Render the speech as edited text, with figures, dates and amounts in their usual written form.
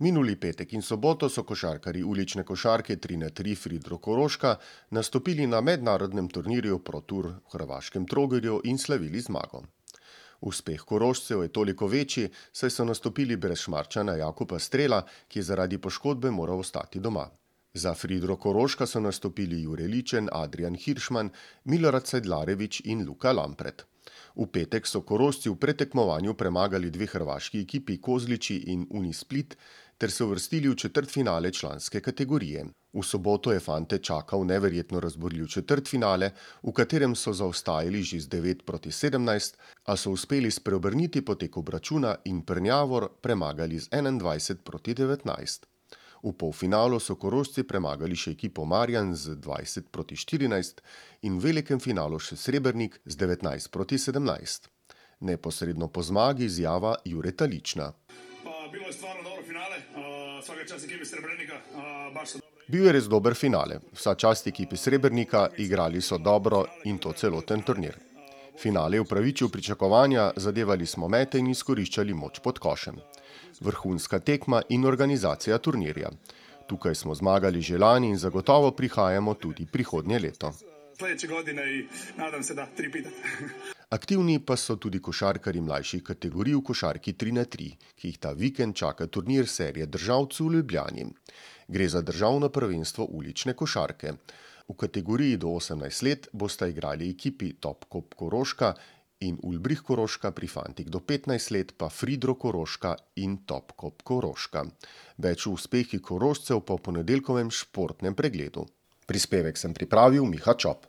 Minuli petek in soboto so košarkarji ulične košarke 3x3 Fridro Koroška nastopili na mednarodnem turnirju Pro Tour v hrvaškem Trogirju in slavili zmago. Uspeh Korošcev je toliko večji, saj so nastopili brez Šmarčana Jakuba Strela, ki je zaradi poškodbe moral ostati doma. Za Fridro Koroška so nastopili Jure Ličen, Adrijan Hiršman, Milorad Sedlarević in Luka Lampret. V petek so Korošci v predtekmovanju premagali dve hrvaški ekipi Kozlići in Unisplit ter se uvrstili v četrtfinale članske kategorije. V soboto je fante čakal neverjetno razburljiv četrtfinale, v katerem so zaostajali že z 9-17, a so uspeli spreobrniti potek obračuna in Prnjavor premagali z 21-19. V polfinalu so Korošci premagali še ekipo Marjan z 20-14 in v velikem finalu še Srebrnik z 19-17. Neposredno po zmagi izjava Jureta Lična. Bilo je stvarno dobro finale, svaka čast ekipi Srebrnika, baš so dobro. Bil je res dober finale, vsa čast ekipi Srebrnika, igrali so dobro in to celoten turnir. Finale je upravičil pričakovanja, zadevali smo mete in izkoriščali moč pod košem. Vrhunska tekma in organizacija turnirja. Tukaj smo zmagali že lani in zagotovo prihajamo tudi prihodnje leto. Sljedeće godine i nadam se da 3 pitati. Aktivni pa so tudi košarkarji mlajših kategorij v košarki 3x3, ki jih ta vikend čaka turnir serije državcev v Ljubljani. Gre za državno prvenstvo ulične košarke. V kategoriji do 18 let bosta igrali ekipi Topkop Koroška in Ulbrich Koroška, pri fantih do 15 let pa Fridro Koroška in Topkop Koroška. Več o uspehih Korošcev po ponedeljkovem športnem pregledu. Prispevek sem pripravil Miha Čop.